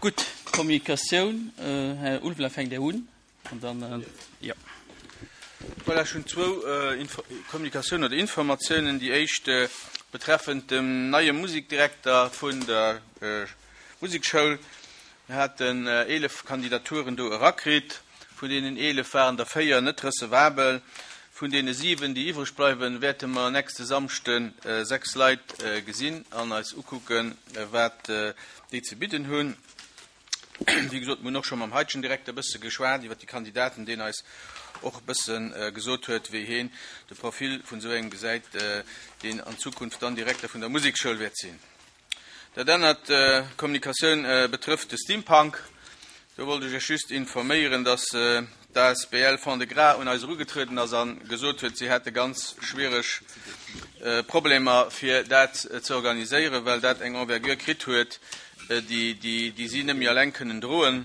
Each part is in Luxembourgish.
Gutt, Kommunikatioun, Här Ulveling, fänkt Dir un an dann, jo. Voilà, ech hunn zwou Kommunikatiounen oder Informatiounen. Déi éischt betreffend dem neie Musikdirekter vun der Musekschoul. Mir haten 11 Kandidaturen do erakritt. Vun deenen 11 waren der 4 net recevabel. Vun deene 7, déi iwwreg bleiwen, wäerte mer nächste Samschde 6 Leit gesinn an eis ukucken, wat déi ze bidden hunn. Wéi gesot, mir hunn och scho mam heitegen Direkter e bësse geschwat iwwer déi Kandidaten, deen eis och e bësse gesot huet, wéi heen de Profil vun esou engem gesäit, deen an Zukunft dann Direkter vun der Musekschoul wäert sinn. Dat anert Kommunikatioun betrëfft de Steampunk. Do wollt ech Iech just informéieren, dass d'ASBL Fond-de-Gras un eis erugetrueden ass a gesot huet, si hätte ganz schwiereg Problemer fir dat ze organiséieren, well dat eng Envergure kritt huet, déi si net méi alleng kënnen droen.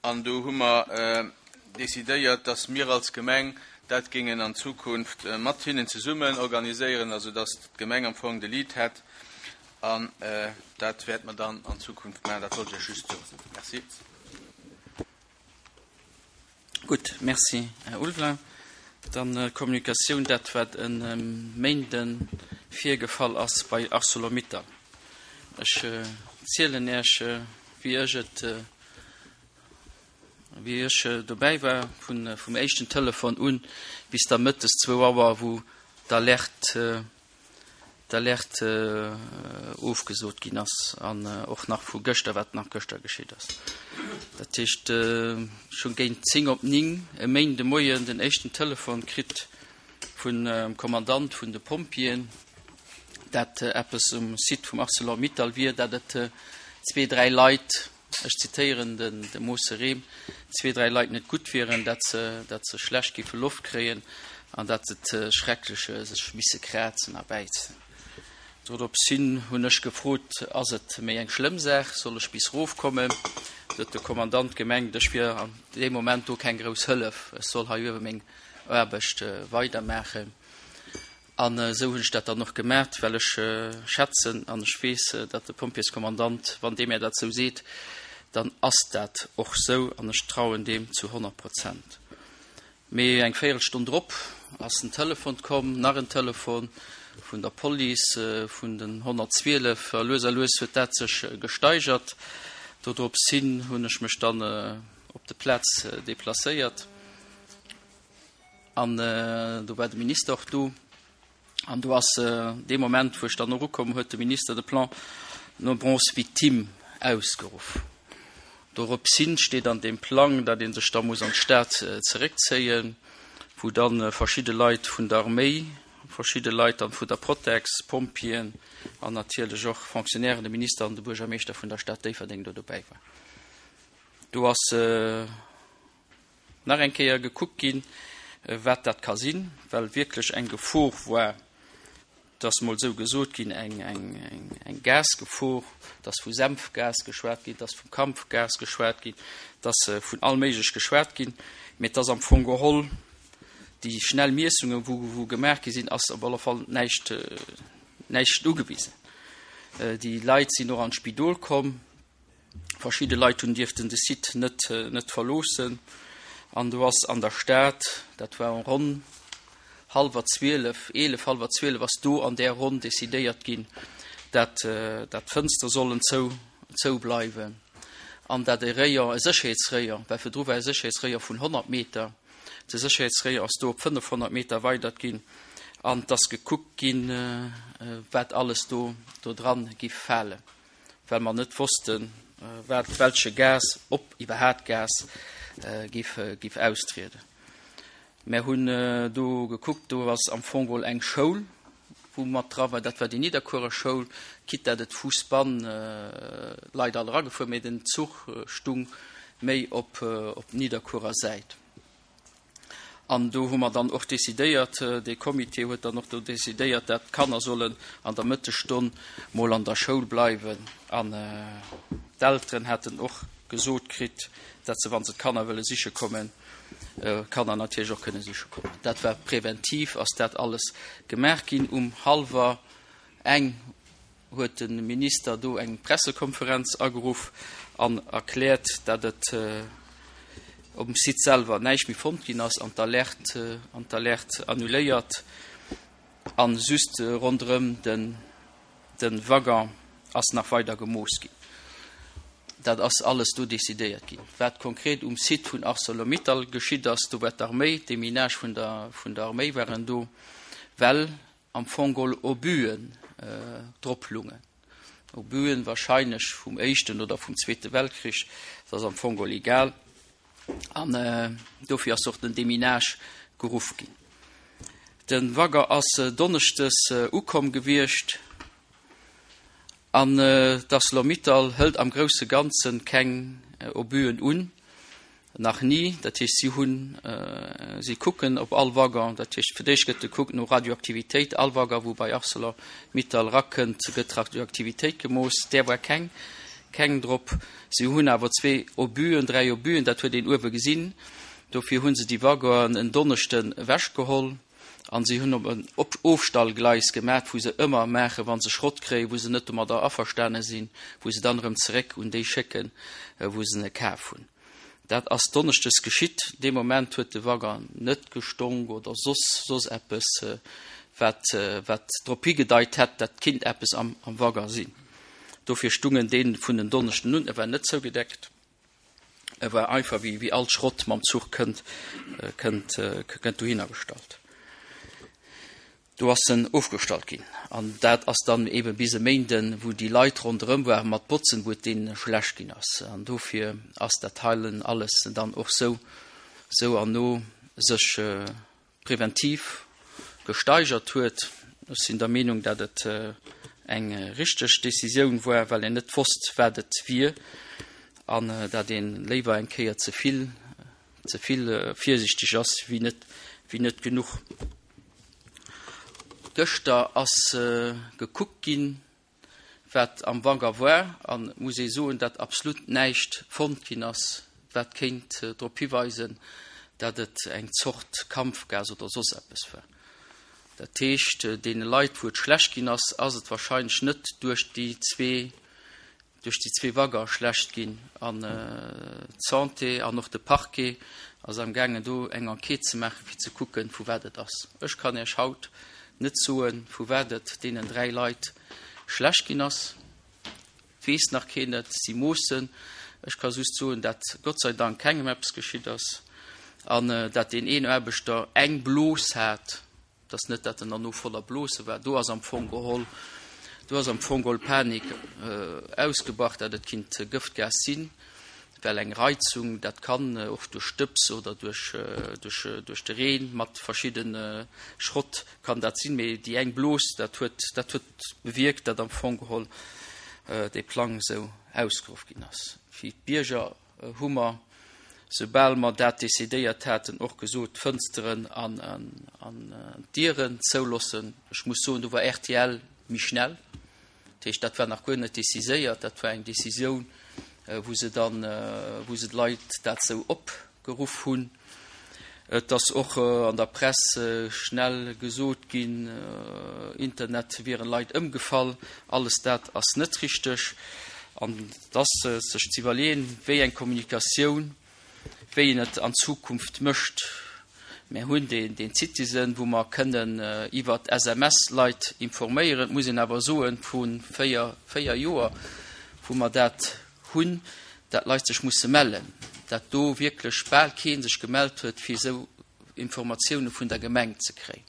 An do hu mer decidéiert, dass mir als Gemeng dat géingen an Zukunft mat hinnen zesummen organiséieren, also dass d'Gemeng am Fong de Lead hätt. An dat wäerte mer dann an Zukunft maachen. Dat wollt ech Iech just soen. Merci. Gutt, merci, Här Ulveling. Dann d'Kommunikatioun, dat wat e Méinde virgefall ass bei Arcelor-Mittal. Ech zielen Iech, wéi ech et, wéi ech dobäi war, vum éischten Telefon un bis da mëttes zwou Auer, wou d'Alerte, d'Alerte ofgesot ginn ass an och nach vu gëschter, wat nach gëschter geschitt ass. Dat heescht, ech hunn géint 10 op 9 e Méinde Moien den éischten Telefon kritt vun Kommandant vun de Pompjeeën, dat eppes um Site vum Arcelor-Mittal wier, dat et zwee, dräi Leit, ech zitéieren de Mosse Rehm, zwee, dräi Leit net gutt wieren, dat se, dat se schlecht géife Loft kréien an dat et schrecklech sech misse krazen a bäizen. Doropshin hunn ech gefrot, Ass et méi eng schlëmm Saach, soll ech bis rofkommen? Do huet de Kommandant gemengt, ech wier an deem Moment do keng grouss Hëllef, ech soll hei uewe meng Aarbecht weidermaachen. An esou hunn ech dat dann och gemaat, well ech schätzen an ech weess, datt de Pompjeeskommandant, wann dee mär dat esou seet, dann ass dat och esou an ech trauen deem zu 100 Prozent. Mee eng Véierelstonn drop ass en Telefon komm, nach en Telefon vun der Police, vun den 112, a lues a lues huet dat sech gesteigert. Dodrops hin hunn ech mech dann op de Plaz deplacéiert. An do war de Minister och do. An do ass dee Moment, wou ech dann och ukomm, huet de Minister de Plan nombreuses victimes ausgeruff. Doropshin steet an deem Plang, datt ee sech da muss an d'Stad zeréckzéien, wou da verschidde Leit vun der Arméi, verschidde Leit dann vun der Protex, Pompjeeën an natierlech och Fonctionnairen, de Minister an de Buergermeeschter vun der Stad Déifferdeng do dobäi war. Do ass. Nach eng Kéier gekuckt ginn, wat dat ka sinn, well wierklech eng Gefor war, et ass mol esou gesot ginn, eng Gasgefor, et ass vu Senfgas geschwat ginn, et ass vum Kampfgas geschwat ginn, et ass vun all Méiglech geschwat ginn, mee et ass am Fong geholl, déi schnell Miessungen, wou gemaach gi sinn, ass op alle Fall näischt, näischt ugewisen. Déi Leit sinn och an d'Spidol komm. Verschidde Leit hunn dierften de Site net net verloossen. An do ass an der Stad, dat war ronn hallwer 12, 11, hallwer 12 ass do an där Ronn decidéiert ginn, dat dat d'Fënstere sollen zou zou bleiwen an dat e Rayon, e Sécherheetsrayon, well virdru war e Sécherheetsrayon vun 100 Meter, de Sécherheetsrayon ass do op 500 Meter erweidert ginn an et ass gekuckt ginn, wat alles do do dran giff falen. well mer net wossten, wat, welche Gas, ob iwwerhaat Gas giff, giff austrieden. Mär hunn do gekuckt, do ass am Fong geholl eng Schoul, wou mat dra war, dat war déi Nidderkuerer Schoul, quitte dat et Fuussbann Leit all eragefuer, mee den Zuch stung méi op, op Nidderkuerer Säit. An do hu mer dann och decidéiert, dee Comité huet dann och do decidéiert, dat d'Kanner sollen an der Mëttesstonn mol an der Schoul bleiwen. An d'Elteren hätten och gesot kritt, dat se, wa se d'Kanner wëlle siche kommen, d'Kanner natierlech och kënne siche kommen. Dat war präventiv, ass dat alles gemaach ginn. Um hallwer eng. huet de Minister do eng Pressekonferenz ageruff an erkläert, dat et um Site selwer näischt méi fonnt ginn ass an d'Alerte an d'Alerte annuléiert an just ronderëm den de Waggon ass nach weider gemooss ginn. Dat ass alles do decidéiert ginn. Wat konkret um Site vun Arcelor-Mittal geschitt ass, do war d'Arméi, d'Deminage vun der vun der Arméi waren do, well am Fong geholl Obuen drop lungen. Obuen wahrscheinlech vum Éischten oder vum Zweete Weltkrich, dat ass am Fong geholl egal. An dofir ass och den Deminage geruff ginn. De Wagger ass donneschdes ukomm gewiescht an d'Arcelor-Mittal hëlt am grousse Ganze keng Obuen un, nach ni. Dat heescht, si hunn, si kucken op all Waggon, dat heescht fir d'éischt gëtt gekuckt no Radioaktivitéit, all Waggon wou bei Arcelor-Mittal rakënnt, gëtt d'Radioaktivitéit gemooss, där war keng. Keng drop. Si hunn awer zwee Obuen, dräi Obuen, dat huet een uewe gesinn. Dofir hu se déi Waggonen en Donneschden ewechgeholl a si hunn op en Ofstallgleis gemat, wou se ëmmer maachen, wa se Schrott kréien, wou se net domadder averstane sinn, wou se dann erëm zeréck un déi schécken, wou se e kaf hunn. Dat ass donneschdes geschitt. Dee Moment huet de Waggon net gestonk oder soss soss eppes, wat wat drop higedeit hätt, dat kinnt eppes am am Waggon sinn. Dofir stungen dee vun en Donneschden un. E war net zougedeckt. E war einfach wéi wéi all Schrott mam Zuch kënnt kënnt kënnt dohinner gestallt. Do ass en ofgestallt ginn. An dat ass dann eebe bis e Méinden, wou déi Leit ronderëm waren mat Botzen, wou et deene schlecht ginn ass. An dofir ass dat heilen alles dann och sou, sou an no sech preventiv gesteigert huet. Ech sinn der Meenung, dat et eng richteg Décisioun war, well een net wosst, wat et wier, an dat ee léiwer eng Kéier ze vill, ze vill virsichteg ass, wéi net, wéi net genuch. Gëschter ass gekuckt ginn, wat am Wagger war, an et muss ee soen, datt absolut näischt fonnt ginn ass, wat kéint drop hiweisen, datt et eng Zort Kampfgas oder soss eppes war. Dat heescht, deene Leit, wou et schlecht ginn ass, ass et wahrscheinlech net duerch déi zwee duerch déi zwee Wagger schlecht ginn an d'Santé an och de Parquet ass am gaangen do eng Enquête ze maachen, fir ze kucken, vu wat et ass. Ech kann Iech haut net soen, vu wat et deenen dräi Leit schlecht ginn ass. Et weess nach keen et. Si moossen. Ech ka just soen, dat Gott sei Dank kengem eppes geschitt ass an dat deen een Aarbechter eng Blos hat, Et ass net, dat en derno voller Blose war. Do ass am Fong geholl, do ass am Fong geholl Panik ausgebrach, dat et kinnt Gëftgas sinn, well eng Reizung, dat kann och duerch Stëbs oder duerch, duerch, duerch de Reen mat verschidde Schrott kann dat sinn. Mee déi eng Blos, dat huet, dat huet bewierkt, dat am Fong geholl dee Plang esou ausgeruff ginn ass. Fir d'Bierger hu mer, soubal mer dat decidéiert haten, och gesot, d'Fënsteren an d'Dieren zoulossen. Ech muss soen, do war rtl méi schnell. Dat heescht, dat war nach guer net déciséiert. Dat war eng Décisioun, wou se dann, wou se d'Leit dat esou opgeruff hunn. Et ass och an der Press schnell gesot ginn, Internet wieren Leit ëmgefall. Alles dat ass net richteg. An et ass sech ze iwwerleeën, wéi eng Kommunikatioun, wéi een et an Zukunft mécht. Mär hunn deen Citizen, wou mer kënnen iwwert SMS Leit informéieren. Et muss een awer soen, vu véier Joer, wou mer dat hunn, dat Leit sech musse mellen, dat do wierklech bal kee sech gemellt huet, fir esou Informatioune vun der Gemeng ze kréien.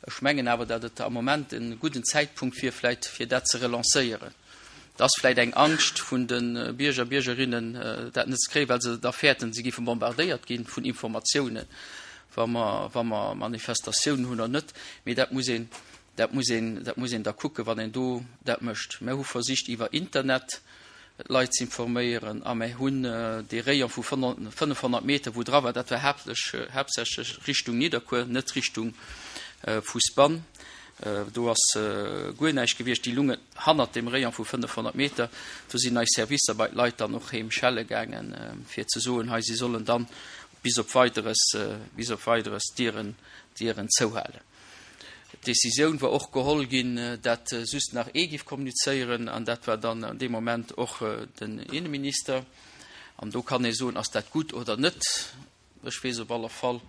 Ech mengen awer, dat et am Moment e gudden Zäitpunkt wier vläicht, fir dat ze relancéieren. Et ass vläicht eng Angscht vun de Bierger, Biergerinnen, dat net ze kréien, well se da fäerten, se géife bombardéiert gi vun Informatiounen, wa mer, wa mer Manifestatiounen hunn oder net. Mee dat muss een, dat muss een, dat muss een da kucken, wann een do dat mécht. Mer hu versicht iwwer Internet d'Leit ze informéieren a mer hunn dee Rayon vu 500 Meter, wou dra war, dat war haaptsächlech Richtung Nidderkuer, net Richtung Fousbann, do ass guer näischt gewiescht, déi lungen hannert deem Rayon vu 500 Meter. Do sinn eis Servicer bei d'Leit dann och heem schelle gaangen, fir ze soen, hei si sollen dann bis op Weideres, bis op Weideres d'Dieren, d'Dieren zouhalen. D'Decisioun war och geholl ginn, dat just nach ee giff kommunizéieren, an dat war dann an deem Moment och den Inneminister. An do kann ee soen, ass dat gutt oder net? Ech weess op alle Fall,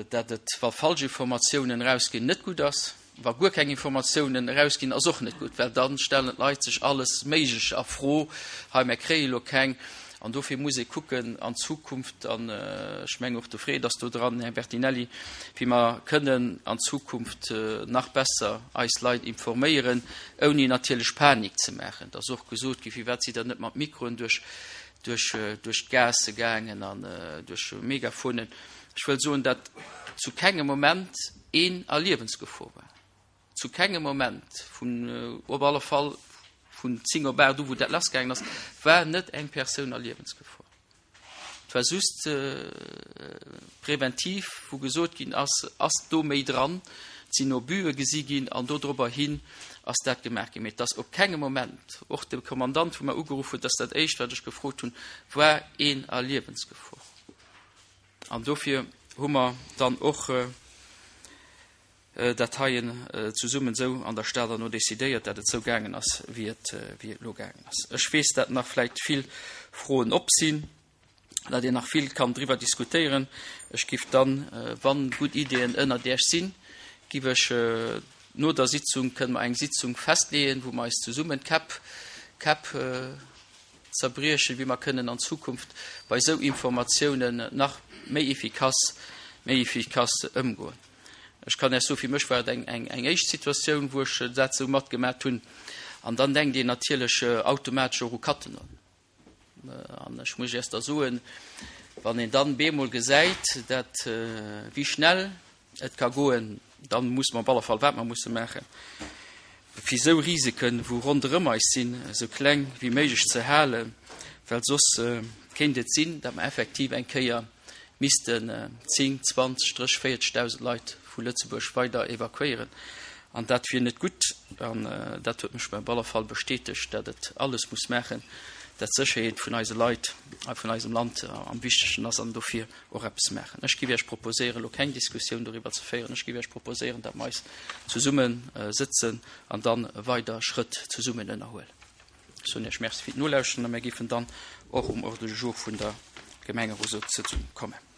dat et, wa falsch Informatiounen erausginn, net gutt ass. Wa guer keng Informatiounen erausginn, ass och net gutt, well da stellen d'Leit sech alles Méigleche a Fro, Hei, mär kréie lo keng. An dofir muss ee kucken an Zukunft, an ech mengen och de Fred ass do dran, Här Bertinelli, wéi mer kënnen an Zukunft nach besser eis Leit informéieren, ouni natierlech Panik ze maachen. Et ass och gesot ginn, Firwat sidd Der net mat Mikroen duerch duerch d'Gaasse gaangen an duerch Megaphonen? Ech wëll soen, datt zu kengem Moment een a Liewensgefor war. Zu kengem Moment, vun op alle Fall vun 10 op 8 u wou dat lassgaangen ass, war net eng Persoun a Liewensgefor. Et war just präventiv, wou gesot ginn ass, ass do méi dran, et sinn Obue gesi ginn an dodrobber hin ass dat gemaach ginn. Mee et ass op kengem Moment, och de Kommandant wou mer ugeruff huet, dat ass dat éischt wat ech gefrot hunn, war een a Liewensgefor. An dofir hu mer dann och dat heien zesummen esou an der Stad herno decidéiert, dat et esou gaangen ass, wéi et elo gaangen ass. Ech weess, dat nach vläicht vill Froen op sinn, dat een nach vill kann driwwer diskutéieren. Ech giff dann, wann gutt Ideeën ënnert Iech sinn, giff ech no der Sitzung, kënne mer eng Sitzung festleeën, wou mer eis zesummen d'Käpp, Käpp zerbriechen, wéi mer kënnen an Zukunft bei esou Informatiounen nach méi efficace, méi efficace ëmgoen. Ech kann Iech soen, fir mech war et eng, eng, eng éischt Situatioun, wou ech dat esou matgemat hunn. An dann denkt een natierlech automatesch och u Cattenom. An ech muss Iech da soen, wann een dann bemol gesäit, dat wéi schnell et ka goen, dann muss mer op alle Fall, wat mer musse maachen, fir esou Risiken, wou ronderëm eis sinn, esou kleng wéi méiglech ze halen, well soss kéint et sinn, datt mer effektiv eng Kéier missten 10, 20, 30, 40.000 Leit vu Lëtzebuerg weider evakuéieren. An dat wier net gutt. An dat huet mech op alle Fall bestätegt, dat et alles muss maachen, dat d'Sécherheet vun eise Leit a vun eisem Land am wichtegsten ass an dofir och eppes maachen. Ech géif Iech proposéieren, elo keng Diskussioun doriwwer ze féieren. Ech géif Iech proposéieren, dat mer eis zesumme sëtzen an da weider Schrëtt zesummen ënnerhuelen. Ech soen Iech Merci fir d'Nolauschteren a mir géifen dann och um Ordre du jour vun der Gemengerotssëtzung kommen.